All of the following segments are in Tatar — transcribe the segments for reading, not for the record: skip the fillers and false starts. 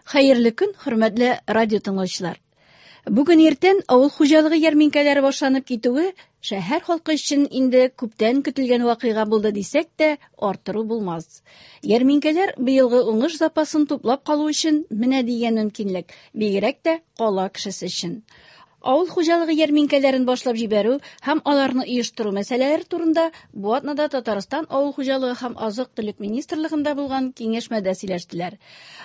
Хәерле көн, хөрмәтле радио тыңлаучылар. Бүген иртән авыл хуҗалыгы ярминкәләре башланып китүе шәһәр халкы өчен инде күптән көтелгән вакыйга булды дисәк тә, арттыру булмас. Ярминкәләр быелгы уңыш запасын туплап калу өчен менә дигән мөмкинлек, бигрәк тә кала кешесе өчен. Авыл хуҗалыгы ярминкәләрен башлап җибәрү һәм аларны оештыру мәсьәләләре турында бу атнада Татарстан Авыл хуҗалыгы һәм азык-төлек министрлыгында булган киңәшмәдә сөйләштеләр.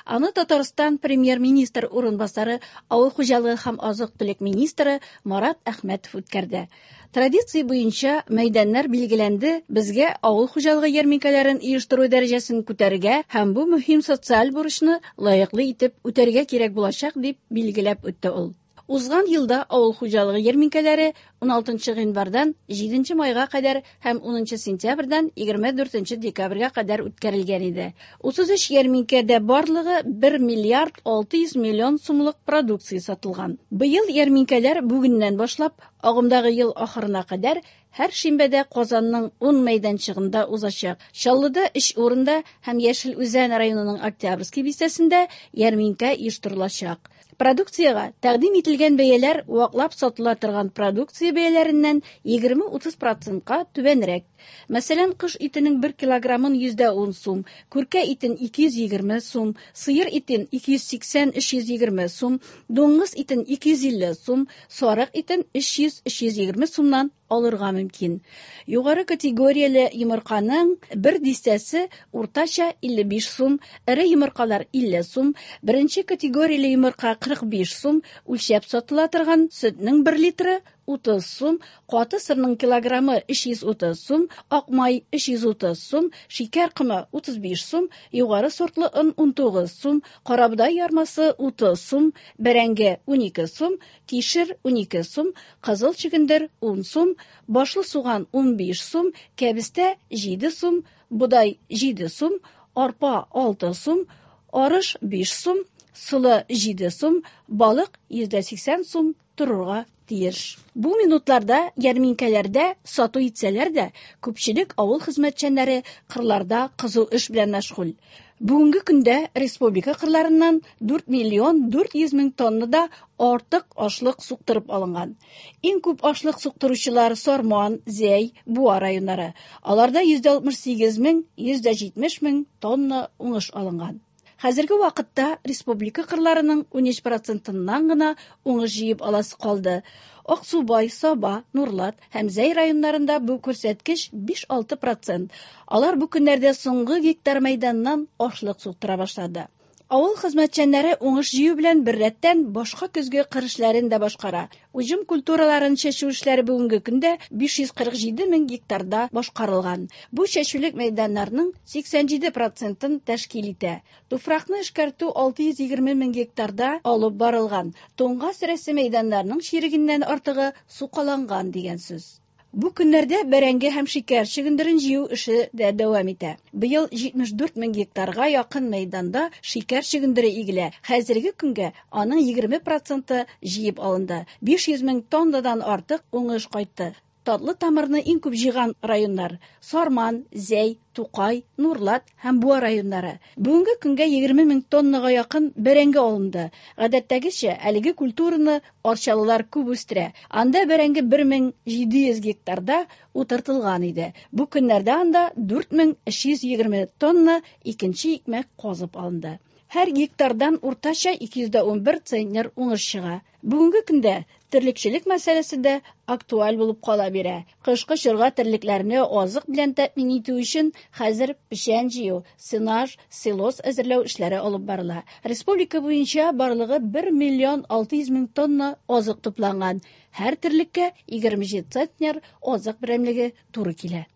Аны Татарстан премьер-министр урынбасары, авыл хуҗалыгы һәм азык-төлек министры Марат Әхмәтов үткәрде. Традиция буенча мәйданнар билгеләнде, безгә авыл хуҗалыгы ярминкәләрен оештыру дәрәҗәсен күтәрергә һәм бу мөһим социаль бурычны лаеклы итеп үтәргә кирәк булачак, дип билгеләп үтте ул. Узган елда авыл хуҗалыгы ярминкәләре 16 гыйнвардан 7 майга кадәр һәм 10 сентябрьдән 24 декабрьгә кадәр үткәрелгән иде. 33 ярминкәдә барлыгы 1 миллиард 600 миллион сумлык продукция сатылган. Быел ярминкәләр бүгеннән башлап агымдагы ел ахырына кадәр һәр шимбәдә Казанның 10 мәйданчыгында узачак. Чаллыда 3 урында һәм Яшел Үзән районының Октябрьский бистәсендә ярминкә оештырылачак. Продукциягә тәкъдим ителгән бәяләр ваклап сатыла торган продукция бәяләреннән 20-30 процентка түбәнрәк. Мәсәлән, кош итенең 1 килограммын 110 сум, күркә итен 220 сум, сыер итен 280-320 сум, дуңгыз итен 250 сум, сарык итен 300-320 сумнан алырга мөмкин. Югары категорияле йомырканың бер дистәсе уртача 55 сум, эре йомыркалар 50 сум, беренче категорияле йомырка 45 сум, үлчәп сатыла торган сөтнең 1 литры 30 сум, каты сырның килограммы 330 сум, ак май 330 сум, шикәр комы 35 сум, югары сортлы он 19 сум, карабодай ярмасы 30 сум, бәрәңге 12 сум, кишер 12 сум, кызыл чөгендер 10 сум, башлы суган 15 сум, кәбестә 7 сум, бодай 7 сум, арпа 6 сум, арыш 5 сум, солы 7 сум, балык 180 сум торырга тиеш. Бу минутларда ярминкәләрдә сату итсәләр дә, күпчелек авыл хезмәтчәннәре кырларда кызу эш белән мәшгуль. Бүгенге көндә республика кырларыннан 4 миллион 400 мең тоннада артык ашлык суктырып алынган. Иң күп ашлык суктыручылар Сарман, Зәй, Буа районнары. Аларда 168 мең, 170 мең тонна уңыш алынган. Хәзерге вакытта республика кырларының 13 процентыннан гына уңыш җыеп аласы калды. Аксубай, Саба, Нурлат һәм Зәй районнарында бу күрсәткеч 5-6 процент. Алар бу көннәрдә соңгы гектар мәйданнан ашлык суктыра башлады. Авыл хезмәтчәннәре уңыш җыю белән беррәттән башка көзге кыр эшләрен дә башкара. Уҗым культураларын чәчү эшләре бүгенге көндә 547 мең гектарда башкарылган. Бу чәчүлек мәйданнарның 87 процентын тәшкил итә. Туфракны эшкәртү 620 мең гектарда алып барылган. Туңга сөрәсе мәйданнарның чирегеннән артыгы сукаланган дигән сүз. Бу көннәрдә бәрәңге һәм шикәр чөгендерен җыю эше дә дәвам итә. Быел 74 мең гектарга якын мәйданда шикәр чөгендере игелә. Хәзерге көнгә аның 20 проценты җыеп алынды. 500 мең тоннадан артык уңыш кайтты. Татлы тамырны иң күп җыйган районнар Сарман, Зәй, Тукай, Нурлат һәм Буа районнары. Бүгенге көнгә 20 мең тоннага якын бәрәңге алынды. Гадәттәгечә, әлеге культураны арчалылар күп үстерә. Анда бәрәңге 1700 гектарда утыртылган иде. Бу көннәрдә анда 4320 тонна икенче икмәк казып алынды. Һәр гектардан уртача 211 центнер уңыш чыга. Бүгенге көндә терлекчелек мәсьәләсе дә актуаль булып кала бирә. Кышкы чорга терлекләрне азык белән тәэмин итү өчен хәзер печән җыю, сенаж, силос әзерләү эшләре алып барыла. Республика буенча барлыгы 1 миллион 600 мең тонна азык тупланган. Һәр терлеккә 27 центнер азык берәмлеге туры килә.